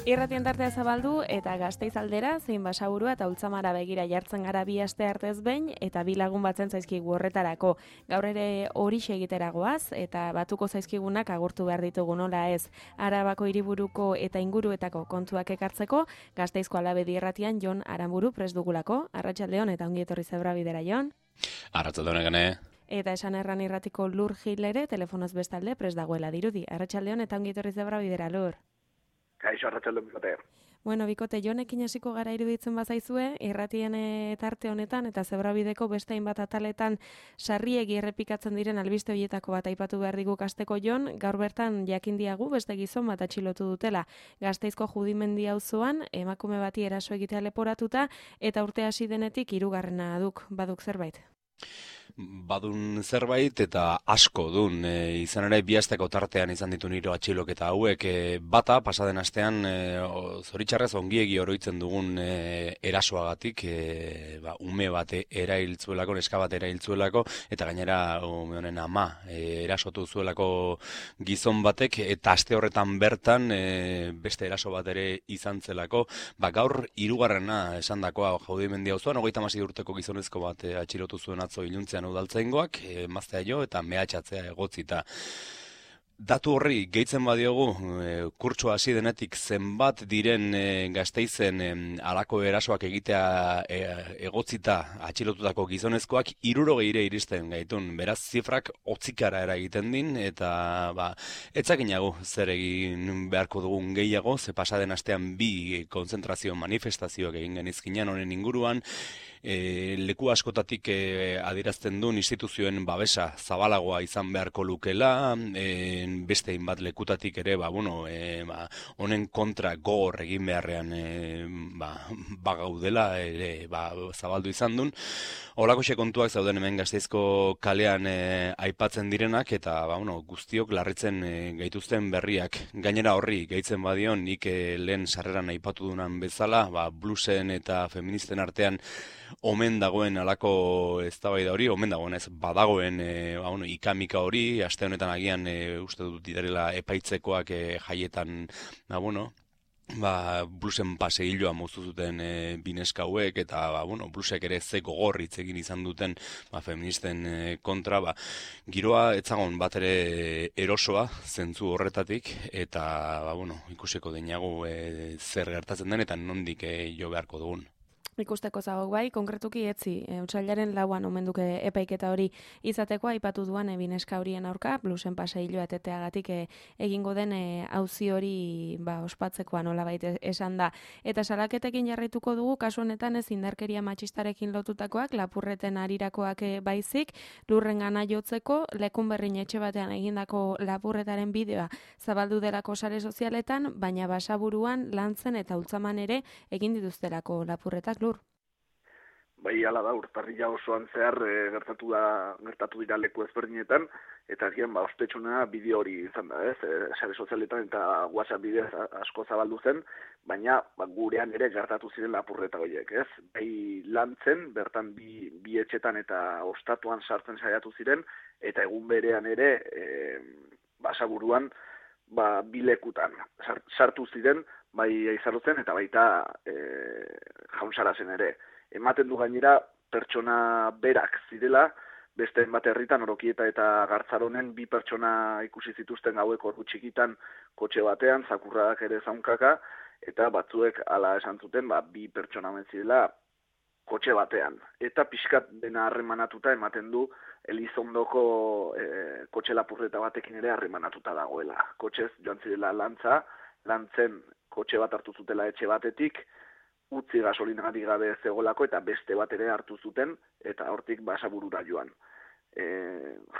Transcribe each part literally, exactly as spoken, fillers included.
Irratien tartea zabaldu eta Gasteiz aldera, zein Basaburua eta Ultzamara begira jartzen gara bi aste artez behin eta bi lagun batzen zaizkigu horretarako. Gaur ere horixe egiteragoaz eta batuko zaizkigunak agurtu behar ditugu nola ez. Arabako hiriburuko eta inguruetako kontuak ekartzeko, Gasteizko Alabedi Irratian Jon Aramburu prest dugulako. Arratsaldeon eta ongi etorri Zebrabidera, Jon. Arratsaldeon egene. Eta esan erran irratiko Lur Gil ere telefonoz bestalde prest dagoela dirudi. Arratsaldeon eta ongi etorri Zebrabidera, Lur. Kaixo, arratsaldeon bikote. Bueno, bikote, Jonekin hasiko gara iruditzen bazaizue, irratien tarte honetan eta Zebrabideko beste hainbat ataletan sarriegi errepikatzen diren albiste horietako bat aipatu behar digu kasteko Jon, gaur bertan jakin diagu beste gizon bat atxilotu dutela. Gasteizko Judimendi auzoan emakume bati eraso egitea leporatuta eta urte hasi denetik hirugarrena duk, baduk zerbait. Badun zerbait eta asko dun. E, izan ere bi asteko tartean izan ditu niro atxiloketa hauek. E, bata, pasaden astean, e, zoritxarrez ongiegi oroitzen dugun e, erasoagatik, e, ba, ume bat erailtzuelako, neska bat erailtzuelako, eta gainera ume honen ama e, erasotu zuelako gizon batek, eta aste horretan bertan e, beste eraso bat ere izan zelako. Ba, gaur hirugarrena esan dakoa Judimendi auzoan, hogeita hamasei urteko gizonezko bat e, atxilotu zuen atzo iluntzean udaltzaingoak, emaztea jo eta mehatxatzea egotzita. Datu horri gehitzen badiogu, e, kurtsoa hasi denetik zenbat diren e, Gasteizen e, alako erasoak egitea e, egotzita atxilotutako gizonezkoak hirurogeira iristen gaitun. Beraz, zifrak hotzikara eragiten din eta ba, etzakinagu zer egin beharko dugun gehiago, ze pasaden astean bi konzentrazio manifestazioak egin genizkinan honen inguruan, E, leku askotatik e, adierazten duen instituzioen babesa zabalagoa izan beharko lukela, e, beste hainbat lekutatik ere, ba, bueno, e, ba, honen kontra gogor egin beharrean e, ba, bagaudela, ere, ba, zabaldu izan duen. Holakoxe kontuak zauden hemen Gasteizko kalean e, aipatzen direnak, eta ba, bueno, guztiok larritzen e, gaituzten berriak. Gainera horri, gehitzen badion, nik e, lehen sarreran aipatu dunan bezala, ba, bluesen eta feministen artean omen dagoen alako eztabaida hori, omen dagoen ez badagoen e, ba, bueno, ikamika hori, aste honetan agian e, uste dut direla epaitzekoak e, jaietan, ba, bueno, ba, bluesen paseilloa moztu zuten e, bineska hauek, eta ba, bueno, blusek ere ze gogor hitz egin izan duten ba, feministen e, kontra, ba, giroa etzagon bat ere erosoa zentzu horretatik, eta ba, bueno, ikusiko deinago e, zer gertatzen den eta nondik e, jo beharko dugun. Ikusteko zagok bai, konkretuki etzi, e, otsailaren lauan omenduke epaiketa hori izateko aipatu duan ebineska horien aurka, blusen paseilloa eteteagatik e, egingo den auzi hori ba, ospatzekoa nolabait esan da. Eta salaketekin jarraituko dugu, kasu honetan ez indarkeria matxistarekin lotutakoak, lapurreten arirakoak e, baizik, Lurren gana jotzeko, lekun berrin etxe batean egindako lapurretaren bideoa zabaldu delako sare sozialetan, baina Basaburuan, Lantzen eta Ultzaman ere egin dituztelako lapurretak. Bai, hala da, urtarrila osoan zehar e, gertatu da gertatu dira leku ezberdinetan, eta agian ba ospetsuna bideo hori izan da, ez? E, sare sozialetan eta WhatsApp bidez asko zabaldu zen, baina ba, gurean ere gertatu ziren lapurreta horiek, ez? Bai, Lantzen, bertan bi, bi etxetan eta ostatuan sartzen saiatu ziren, eta egun berean ere e, Basaburuan ba, bi lekutan sartu ziren, bai Aizarrotzen eta baita e, Jaunsarazen ere. Ematen du gainera pertsona berak zirela, beste bat herritan Orokieta eta Gartzaronen bi pertsona ikusi zituzten gaueko ordu txikitan kotxe batean, zakurrak ere zaunkaka, eta batzuek hala esan zuten, ba, bi pertsona omen zirela kotxe batean. Eta pixkat dena harremanatuta ematen du Elizondoko e, kotxe lapurreta batekin ere harremanatuta dagoela. Kotxez joan zirela Lantza, Lantzen kotxe bat hartu zutela etxe batetik, utzi gasolinagatik gabe zegoelako eta beste bat ere hartu zuten eta hortik Basaburura joan. E,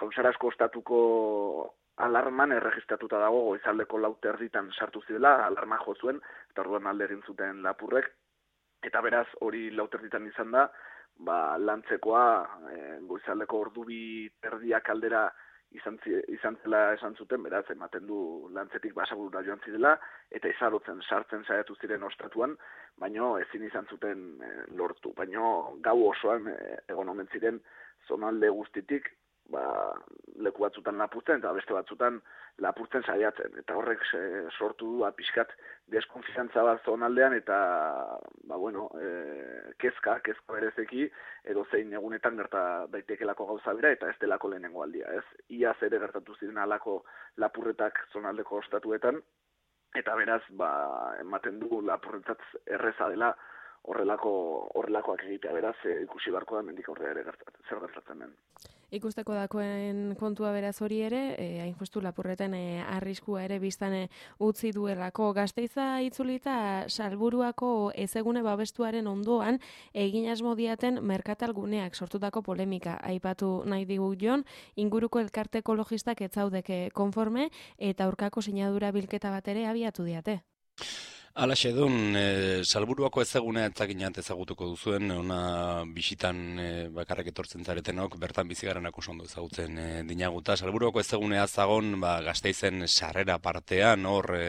Jaunsarazko ostatuko alarman erregistratuta dago goizaldeko lau terditan sartu zirela, alarma jo zuen, eta orduan alde egin zuten lapurrek, eta beraz hori lau terditan izan da, ba, Lantzekoa e, goizaldeko ordu bi terdiak aldera izan, izan zela esan zuten, beraz ematen du Lantzetik Basaburura joan zirela, eta Aizarrotzen sartzen saiatu ziren ostatuan, baino ezin izan zuten e, lortu. Baino gau osoan e, egon omen ziren zonalde guztitik ba, leku batzutan lapurtzen eta beste batzutan lapurtzen saiatzen. Eta horrek e, sortu du pixkat deskonfiantza bat zonaldean eta ba, bueno, e, kezka, kezka berezeki edo zein egunetan gerta daitekelako gauza bera eta ez delako lehenengo aldia. Ez? Iaz ere gertatu ziren alako lapurretak zonaldeko ostatuetan eta beraz ba, ematen du lapurretzat erreza dela horrelako horrelakoak egitea, beraz e, ikusi barko da mendik aurrera ere gertatzen, zer gertatzen den. Ikusteko dakoen kontua beraz hori ere, e, hain justu lapurreten e, arriskua ere biztan e, utzi duelako. Gasteiza itzulita Salburuako ezegune babestuaren ondoan egin asmo diaten merkatalguneak sortutako polemika aipatu nahi digu Jon, inguruko elkarte ekologistak ez zaudeke konforme eta aurkako sinadura bilketa bat ere abiatu diate. Alaxe dun, e, Salburuako ezagunea etzakinat ezagutuko duzuen, ona bisitan e, bakarrak etortzen zaretenok, bertan bizigaranak oso ondo ezagutzen e, dinaguta. Salburuako ezagunea zagon, ba, Gasteizen sarrera partean, hor e,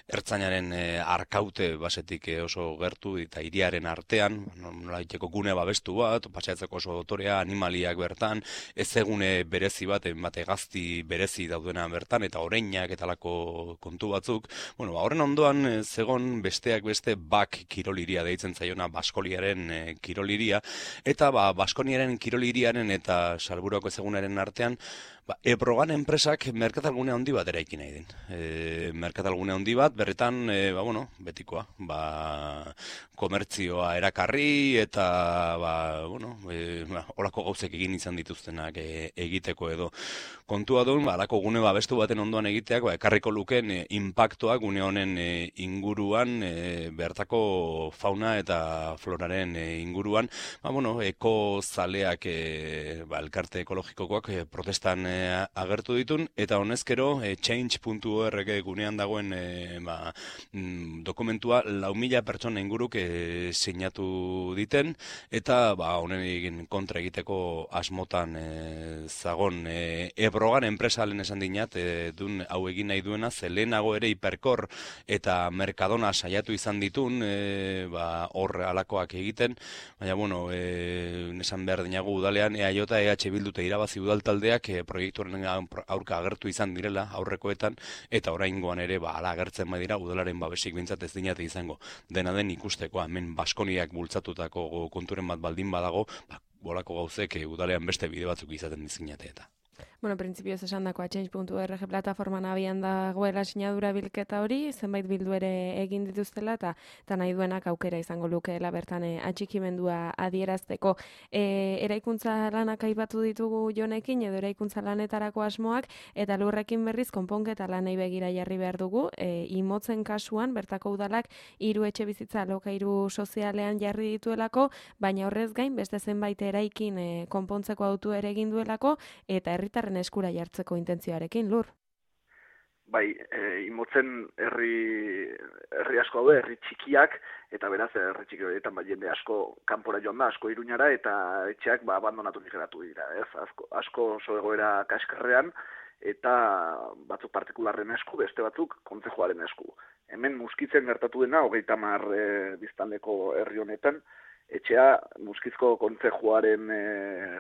ertzainaren e, arkaute basetik e, oso gertu, eta hiriaren artean, nola iteko gune babestu bat, paseatzeko oso dotorea, animaliak bertan, ezegune berezi bat, bate gazti berezi daudena bertan, eta oreinak eta lako kontu batzuk. Bueno, ba, horren ondoan, e, zegoen besteak beste bak kiroliria deitzen zaiona Baskoliaren e, kiroliria, eta ba, Baskoniaren kiroliriaren eta Salburuako ezagunaren artean, ba, Ebrogan enpresak merkatalgune handi bat eraiki nahi din. E, merkatalgune handi bat, berretan, e, ba, bueno, betikoa, ba, komertzioa erakarri, eta, ba, bueno, e, ba, olako gauzek egin izan dituztenak e, egiteko edo. Kontua duen, ba, alako gune babestu baten ondoan egiteak, ba, ekarriko luken e, impactoa gune honen e, inguruan, e, bertako fauna eta floraren e, inguruan, ba, bueno, eko zaleak, e, ba, elkarte ekologikokoak e, protestan e, agertu ditun, eta honezkero e, change puntu org gunean dagoen e, ba, mm, dokumentua lau mila pertsona inguruk e, sinatu diten, eta ba, honen kontra egiteko asmotan e, zagon e, Ebrogan enpresalen esan dinat, e, dun hau egin nahi duena, zelenago ere Hiperkor eta Mercadona saiatu izan ditun, e, ba, hor alakoak egiten, baina, bueno, e, nesan behar dinagu udalean, E A J, E H Bildu eta irabazi udaltaldeak e, proiektuaren aurka agertu izan direla aurrekoetan, eta oraingoan ere ba hala agertzen badira udalaren babesik bintzat ez dinate izango. Dena den ikusteko hemen Baskoniak bultzatutako konturen bat baldin badago, ba, bolako gauzek e, udalean beste bide batzuk izaten dizinate eta. Bueno, printzipioz esan dakoa change puntu org plataforman abian dagoela sinadura bilketa hori, zenbait bildu ere egin dituztela, eta eta nahi duenak aukera izango lukeela bertan e, atxikimendua adierazteko. E, eraikuntza lanak aipatu ditugu Jonekin, edo eraikuntza lanetarako asmoak, eta lurrekin berriz konponketa lanei begira jarri behar dugu. E, imotzen kasuan, bertako udalak hiru etxe bizitza alokairu sozialean jarri dituelako, baina horrez gain, beste zenbait eraikin e, konpontzeko autu ere egin duelako, eta herritarren eskura jartzeko intentzioarekin, Lur. Bai, e, imotzen herri, herri asko daude, herri txikiak, eta beraz herri txiki horietan bai jende asko kanpora joan da, asko Iruñara, eta etxeak ba, abandonatu geratu dira, ez? Asko, asko oso egoera kaskarrean, eta batzuk partikularren esku, beste batzuk kontzejuaren esku. Hemen Muskitzen gertatu dena, hogeita hamar e, biztanleko herri honetan, etxea Muskizko kontzejuaren e,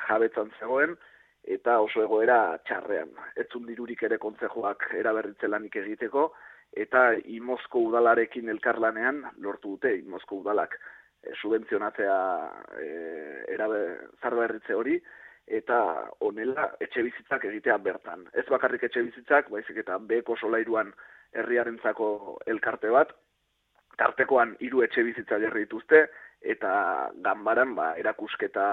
jabetzan zegoen, eta oso egoera txarrean. Etzun dirurik ere kontzejoak eraberritze lanik egiteko, eta Imozko udalarekin elkarlanean lortu dute Imozko udalak e, subentzionatzea e, erabe, zarberritze hori, eta honela etxe bizitzak egitea bertan. Ez bakarrik etxe bizitzak, baizik eta beheko solairuan herriarentzako elkarte bat, tartekoan hiru etxe bizitza jarri dituzte, eta ganbaran ba, erakusketa,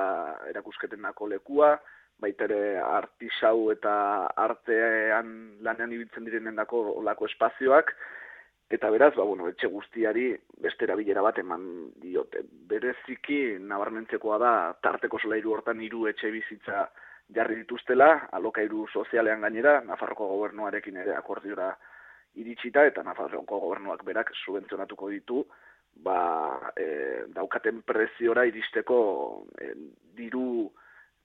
erakusketenako lekua, baita ere artisau eta artean lanean ibiltzen direnendako olako espazioak, eta beraz, ba, bueno, etxe guztiari beste erabilera bat eman diote. Bereziki nabarmentzekoa da tarteko solairu hortan hiru etxe bizitza jarri dituztela, alokairu sozialean gainera, Nafarroko gobernuarekin ere akordiora iritsita, eta Nafarroko gobernuak berak subentzionatuko ditu, ba, e, daukaten preziora iristeko e, diru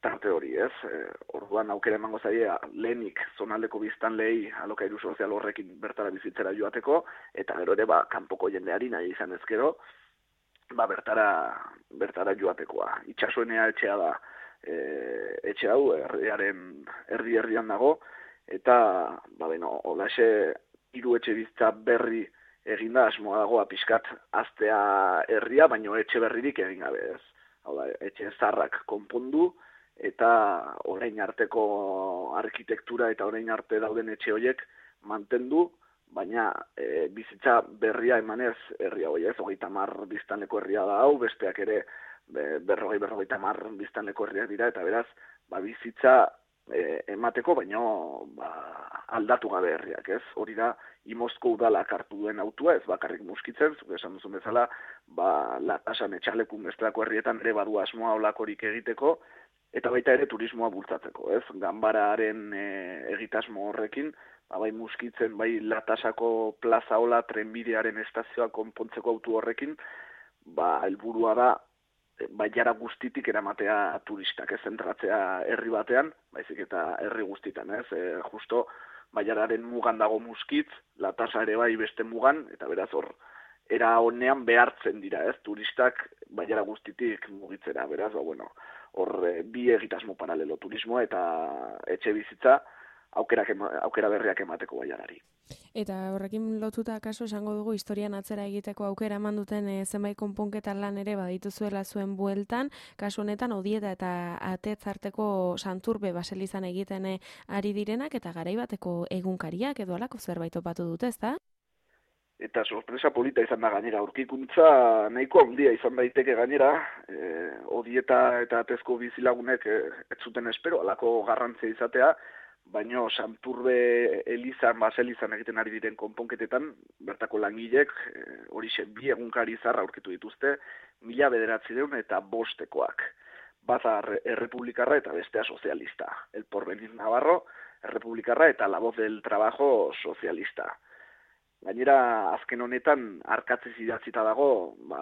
tarte hori, ez? E, orduan aukera emango zaie lehenik zonaldeko biztanleei alokairu sozial horrekin bertara bizitzera joateko, eta gero ere ba, kanpoko jendeari nahi izan ezkero, ba, bertara, bertara joatekoa. Itxasoenea etxea da e, etxe hau herriaren erdi-erdian dago, eta, ba, beno, holaxe, hiru etxe bizitza berri eginda asmoa dagoa pixkat aztea herria, baino etxe berririk egin gabe ez. Hau da, etxe zarrak konpondu, eta orain arteko arkitektura eta orain arte dauden etxe horiek mantendu, baina e, bizitza berria emanez herria hori ez, hogeita hamar biztanleko herria da hau, besteak ere be, berrogei berrogeita hamar biztanleko herriak dira, eta beraz, ba, bizitza e, emateko, baino ba, aldatu gabe herriak ez. Hori da, Imozko udalak hartu duen autua, ez bakarrik Muskitzen, zuk esan duzun bezala, ba, Latasan, Etxalekun, bestelako herrietan ere badu asmoa olakorik egiteko, eta baita ere turismoa bultzatzeko, ez? Ganbararen e, egitasmo horrekin, ba, bai Muskitzen, bai Latasako plaza hola trenbidearen estazioa konpontzeko autu horrekin, ba, helburua da, baiara guztitik eramatea turistak, ez zentratzea herri batean, baizik eta herri guztitan, ez? E, justo baiararen mugan dago Muskitz, Latasa ere bai beste mugan, eta beraz hor, era honean behartzen dira, ez? Turistak baiara guztitik mugitzera, beraz, ba, bueno, hor e, bi egitasmo paralelo, turismoa eta etxe bizitza, aukerak ema, aukera berriak emateko baiarari. Eta horrekin lotuta kaso esango dugu historian atzera egiteko aukera eman duten e, zenbait konponketa lan ere badituzuela zuen bueltan, kasu honetan Odieta eta Atetzarteko Santurbe baselizan egiten e, ari direnak eta garaibateko egunkariak edo alako zerbait topatu dute, ezta? Eta sorpresa polita izan da gainera, aurkikuntza nahiko handia izan daiteke gainera, e, Odieta eta Atezko bizilagunek e, ez zuten espero, alako garrantzia izatea, baino Santurbe elizan, baselizan egiten ari diren konponketetan, bertako langilek, e, horixe bi egunkari zarra aurkitu dituzte, mila bederatziehun eta bostekoak. Bata errepublikarra eta bestea sozialista. El Porvenir Navarro, errepublikarra eta La Voz del Trabajo sozialista. Gainera, azken honetan, arkatziz idatzita dago, ba,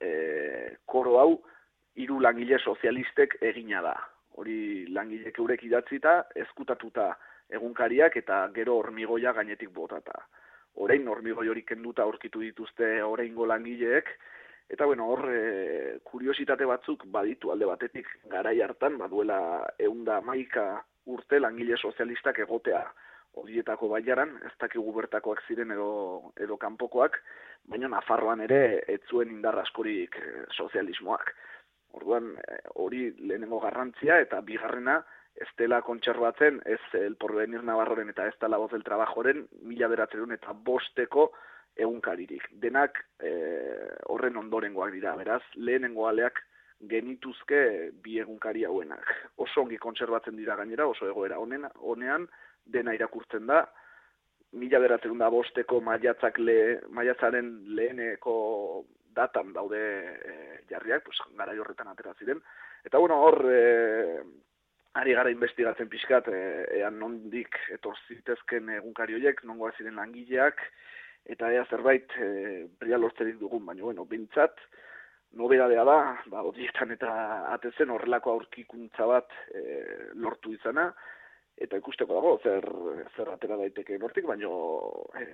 e, koro hau, hiru langile sozialistek egina da. Hori langilek eurek idatzita, ezkutatuta egunkariak eta gero hormigoia gainetik botata. Orain hormigoi hori kenduta aurkitu dituzte oraingo langileek, eta bueno, hor e, kuriositate batzuk baditu alde batetik garai hartan, baduela ehun eta hamaika urte langile sozialistak egotea Odietako baiaran, ez dakigu bertakoak ziren edo, edo kanpokoak, baina Nafarroan ere ez zuen indar askorik sozialismoak. Orduan, hori lehenengo garrantzia eta bigarrena ez dela kontserbatzen, ez El Porvenir Navarroren eta ez da La Voz del Trabajoren mila bederatziehun eta bosteko egunkaririk. Denak e, horren ondorengoak dira, beraz, lehenengo aleak genituzke bi egunkari hauenak. Oso ongi kontserbatzen dira gainera, oso egoera honen, honean, dena irakurtzen da, mila bederatziehun eta bosteko maiatzak le, maiatzaren leheneko datan daude e, jarriak, pues, garai horretan atera ziren. Eta bueno, hor e, ari gara investigatzen pixkat, e, ean nondik etor zitezken egunkari horiek, nongoa ziren langileak, eta ea zerbait e, bria lortzerik dugun, baina bueno, bintzat, nobedadea da, ba, Odietan eta Atetzen horrelako aurkikuntza bat e, lortu izana, eta ikusteko dago, zer, zer atera daiteke nortik, baina e,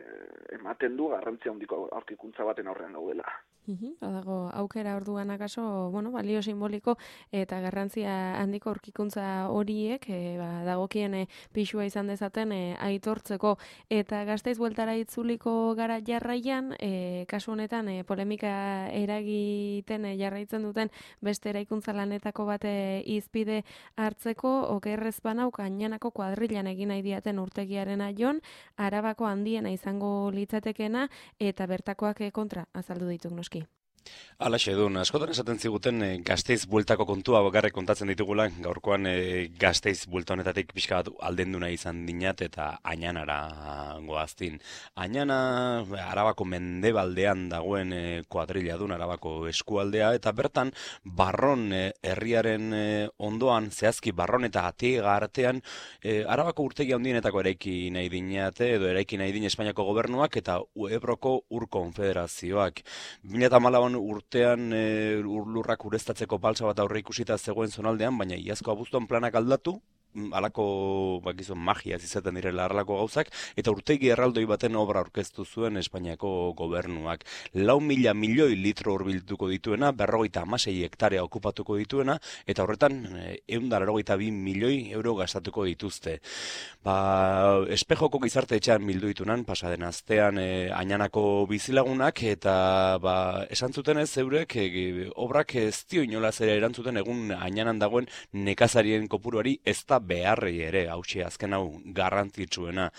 ematen du garrantzia handiko aurkikuntza baten aurrean gaudela. Mhm, badago aukera orduan akaso, bueno, balio simboliko eta garrantzia handiko aurkikuntza horiek e, ba, dagokien e, pixua izan dezaten e, aitortzeko eta Gasteiz bueltara itzuliko gara jarraian, e, kasu honetan e, polemika eragiten e, jarraitzen duten beste eraikuntza lanetako bate izpide hartzeko, okerrez banau Gainanako kuadrilan egin nahi diaten urtegiaren aion, Arabako handiena izango litzatekena eta bertakoak e, kontra azaldu dituk noski. Alaxe dun, askotan esaten ziguten e, Gasteiz bueltako kontua bakarrik kontatzen ditugula, gaurkoan e, Gasteiz buelta honetatik pixka bat aldenduna izan dinat eta Añanara goaztin. Añana Arabako mendebaldean dagoen e, kuadrilla dun Arabako eskualdea eta bertan Barron e, herriaren e, ondoan, zehazki Barron eta Atiega artean e, Arabako urtegi handienetako eraiki nahi dinate edo eraiki nahi din Espainiako gobernuak eta Ebroko Ur Konfederazioak. bi mila hamalau urtean e, lurrak ureztatzeko balsa bat aurre ikusita zegoen zonaldean, baina iazko abuztuan planak aldatu, alako bakizu magia izaten direla harlako gauzak, eta urtegi erraldoi baten obra aurkeztu zuen Espainiako gobernuak. Lau mila milioi litro hurbilduko dituena, berrogeita hamasei hektarea okupatuko dituena, eta horretan ehun eta laurogeita bi milioi euro gastatuko dituzte. Ba, espejoko gizarte etxean bildu ditunan, pasaden astean e, Añanako bizilagunak, eta ba, esan zuten ez eurek, e, obrak ez dio inolaz ere erantzuten egun Añanan dagoen nekazarien kopuruari ez da beharrei ere, hauxe azken hau garrantzitsuena.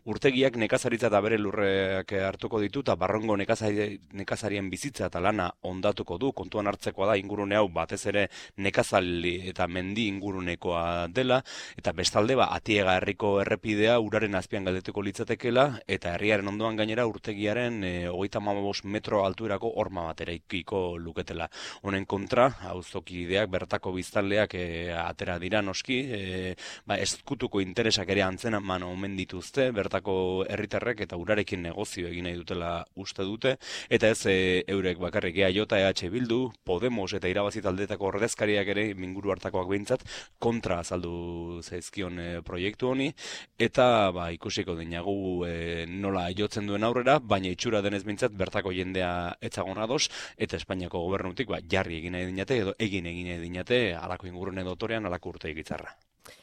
Urtegiak nekazaritza eta bere lurreak hartuko ditu, eta barrongo nekazari, nekazarien bizitza eta lana ondatuko du, kontuan hartzekoa da ingurune hau batez ere nekazali eta mendi ingurunekoa dela, eta bestalde ba, Atiega herriko errepidea uraren azpian galdetuko litzatekela, eta herriaren ondoan gainera urtegiaren e, hogeita hamabost metro altuerako horma bat eraikiko luketela. Honen kontra, auzokideak bertako biztanleak e, atera dira noski, e, ba, ezkutuko interesak ere antzeman omen dituzte, bertako herritarrek eta urarekin negozio egin nahi dutela uste dute, eta ez e, eurek bakarrik E J, E H Bildu, Podemos eta irabazi taldeetako ordezkariak ere minguru hartakoak behintzat kontra azaldu zaizkion e, proiektu honi, eta ba, ikusiko dinagu e, nola jotzen duen aurrera, baina itxura denez behintzat bertako jendea etzagon ados, eta Espainiako gobernutik ba, jarri egin nahi dinate, edo egin egin nahi dinate, alako ingurune dotorean, alako urte egitzarra.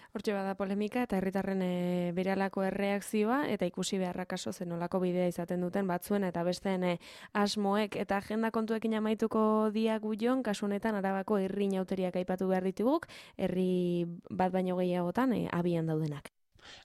Hortxe bada polemika eta herritarren e, beralako erreakzioa eta ikusi beharra kaso zenolako bidea izaten duten batzuen eta besteen e, asmoek eta agenda kontuekin amaituko diagu jon, kasu honetan Arabako herri inauteriak aipatu behar dituguk, herri bat baino gehiagotan e, abian daudenak.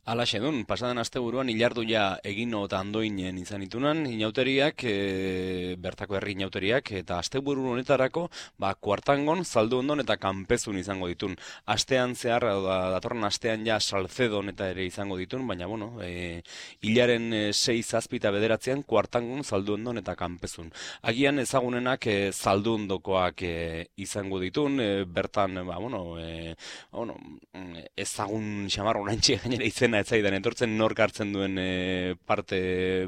Alaxe dun, pasaden asteburuan ilarduia egino eta andoinen izan itunan, inauteriak, e, bertako herri inauteriak, eta asteburu honetarako, ba, kuartangon, zaldundon eta kanpezun izango ditun. Astean zehar, da, datorren astean ja salzedon eta ere izango ditun, baina, bueno, e, hilaren e, sei zazpita bederatzean, kuartangon, zaldundon eta kanpezun. Agian ezagunenak e, zaldundokoak e, izango ditun, e, bertan, ba, bueno, e, bueno ezagun xamarro nantxe gainera izena ez zaidan etortzen nork hartzen duen e, parte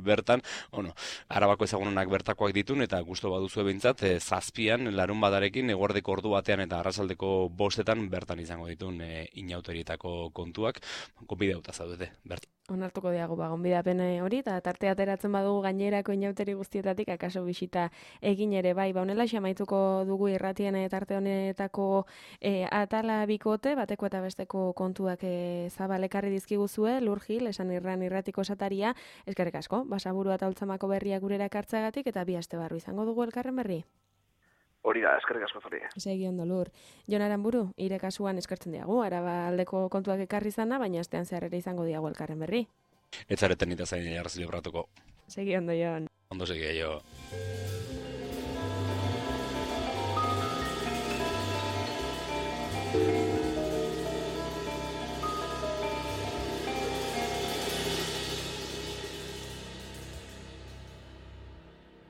bertan, bueno, Arabako ezagunenak bertakoak ditun eta gustu baduzu behintzat e, zazpian larun badarekin eguerdeko ordu batean eta arratsaldeko bostetan bertan izango ditun e, inauterietako kontuak, gonbidatuta zaudete bertan. Onartuko diago ba gonbidapen hori eta tarte ateratzen badugu gainerako inauteri guztietatik akaso bisita egin ere bai, ba honela xamaituko dugu irratien tarte honetako e, atala bikote, bateko eta besteko kontuak e, zabalekarri dizkiguzue, Lur Gil, esan irran irratiko esataria, eskerrik asko, Basaburua eta Ultzamako berriak gurera ekartzeagatik eta bi aste barru izango dugu elkarren berri. Hori da, eskerrik asko zuri. Segi ondo, Lur. Jon Aranburu, ire kasuan eskertzen diagu, Araba aldeko kontuak ekarri izana, baina astean zehar ere izango diagu elkarren berri. Ez zareten eta zain jarrazi libratuko. Segi ondo, Jon. Ondo segi, jo.